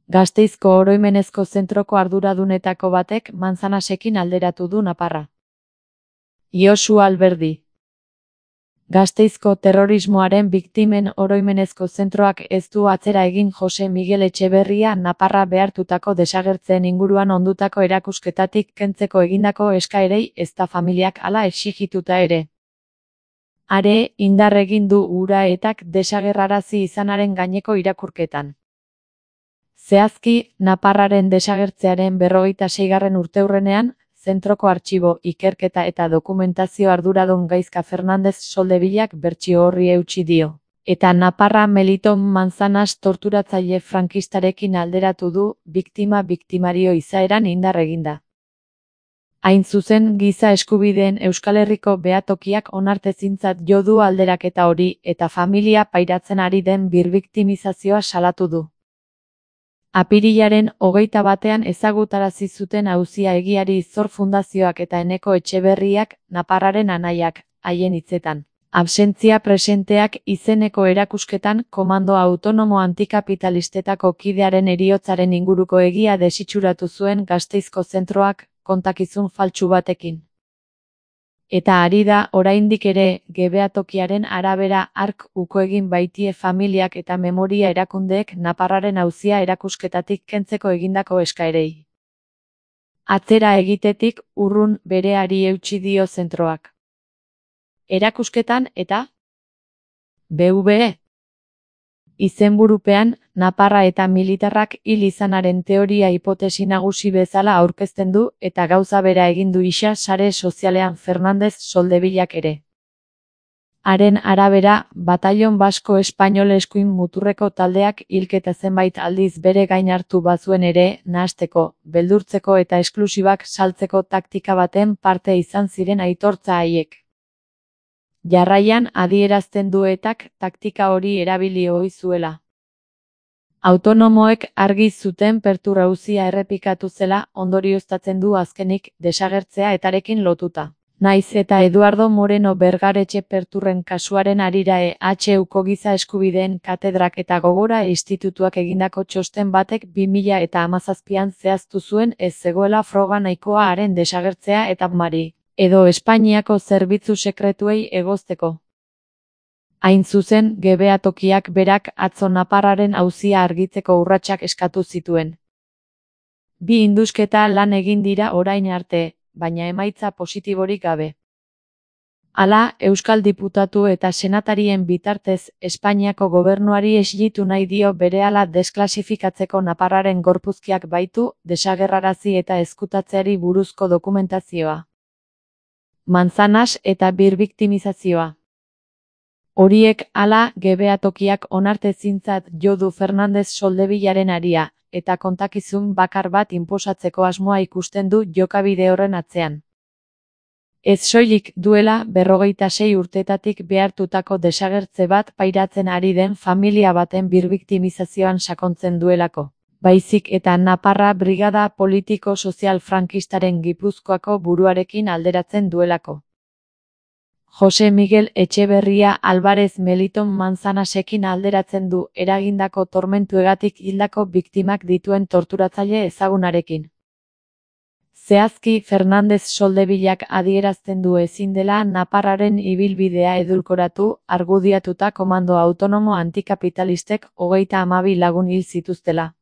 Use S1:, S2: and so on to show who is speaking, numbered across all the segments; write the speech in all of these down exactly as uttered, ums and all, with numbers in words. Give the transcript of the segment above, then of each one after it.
S1: Gasteizko oroimenezko zentroko arduradunetako batek Manzanasekin alderatu du naparra. Josu Alberdi. Gasteizko terrorismoaren biktimen oroimenezko zentroak ez du atzera egin Jose Miguel Etxeberria naparra behartutako desagertzeen inguruan ondutako erakusketatik kentzeko egindako eskaerei ezta familiak hala exigituta ere. Are, indar egin du hura etak desagerrarazi izanaren gaineko irakurketan. Zehazki, naparraren desagertzearen berrogeita seigarren urteurrenean, zentroko artxibo, ikerketa eta dokumentazio arduradun Gaizka Fernandez Soldevillak bertsio horri eutsi dio. Eta naparra Melito Manzanas torturatzaile frankistarekin alderatu du, biktima biktimario izaeran indar eginda. Hain zuzen, giza eskubideen Euskal Herriko behatokiak onartezintzat jo du alderaketa hori eta familia pairatzen ari den birbiktimizazioa salatu du. Apirilaren hogeita batean ezagutarazi zuten auzia egiari Zor Fundazioak eta Eneko Etxeberriak, naparraren anaiak, haien hitzetan. Absentzia presenteak izeneko erakusketan komando autonomo antikapitalistetako kidearen heriotzaren inguruko egia desitxuratu zuen Gasteizko zentroak, kontakizun faltsu batekin. Eta ari da, oraindik ere, gebehatokiaren arabera ark uko egin baitie familiak eta memoria erakundeek naparraren auzia erakusketatik kentzeko egindako eskaerei. Atzera egitetik urrun bereari eutsi dio zentroak. Erakusketan eta B V E izenburupean, naparra eta militarrak hil izanaren teoria hipotesi nagusi bezala aurkezten du eta gauza bera egin du isa sare sozialean Fernandez Soldevillak ere. Haren arabera, Batallon Basko Espainol eskuin muturreko taldeak hilketa zenbait aldiz bere gain hartu bazuen ere, nahasteko, beldurtzeko eta esklusibak saltzeko taktika baten parte izan ziren aitortza haiek. Jarraian adierazten duetak taktika hori erabili ohi zuela. Autonomoek argi zuten Pertur auzia errepikatu zela ondorioztatzen du azkenik desagertzea etarekin lotuta. Naiz eta Eduardo Moreno Bergaretxe Perturren kasuaren harira E H Uko giza eskubideen katedrak eta Gogora institutuak egindako txosten batek bi mila eta hamazazpian zehaztu zuen ez zegoela froga nahikoa haren desagertzea eta mari. Edo Espainiako zerbitzu sekretuei egozteko. Hain zuzen, gebehatokiak berak atzo naparraren auzia argitzeko urratsak eskatu zituen. Bi indusketa lan egin dira orain arte, baina emaitza positiborik gabe. Hala, Euskal diputatu eta senatarien bitartez Espainiako gobernuari eslitu nahi dio berehala desklasifikatzeko naparraren gorpuzkiak baitu, desagerrarazi eta ezkutatzeari buruzko dokumentazioa. Manzanas eta birbiktimizazioa. Horiek hala gebehatokiak onartezintzat jo du Fernandez Soldevillaren haria, eta kontakizun bakar bat inposatzeko asmoa ikusten du jokabide horren atzean. Ez soilik duela berrogeita sei urtetatik behartutako desagertze bat pairatzen ari den familia baten birbiktimizazioan sakontzen duelako. Baizik eta naparra brigada politiko-sozial frankistaren Gipuzkoako buruarekin alderatzen duelako. Jose Miguel Etxeberria Alvarez Meliton Manzanasekin alderatzen du eragindako tormentuegatik hildako biktimak dituen torturatzaile ezagunarekin. Zehazki Fernandez Soldevillak adierazten du ezin dela naparraren ibilbidea edulkoratu, argudiatuta komando autonomo antikapitalistek hogeita hamabi lagun hil zituztela.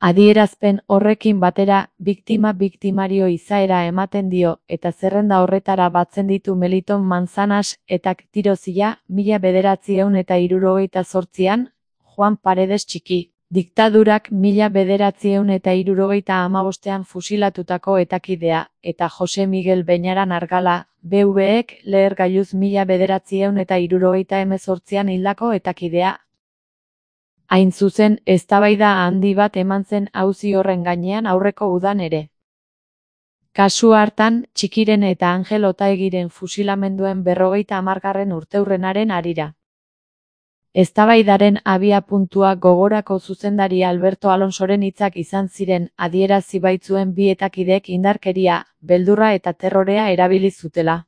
S1: Adierazpen horrekin batera, biktima biktimario izaera ematen dio eta zerrenda horretara batzen ditu Meliton Manzanas eta tirozila mila bederatziehun eta hirurogeita zortzian, Juan Paredes Txiki, diktadurak mila bederatziehun eta hirurogeita hamabostean fusilatutako etakidea, eta Jose Miguel Beñaran Argala, B V Ek lehergailuz mila bederatziehun eta hirurogeita hemezortzian hildako etakidea. Hain zuzen, eztabaida handi bat eman zen auzi horren gainean aurreko udan ere. Kasu hartan, Txikiren eta Angel Otaegiren fusilamenduen berrogeita hamargarren urteurrenaren harira. Eztabaidaren abiapuntua Gogorako zuzendari Alberto Alonsoren hitzak izan ziren adierazi baitzuen bi etakidek indarkeria, beldurra eta terrorea erabili zutela.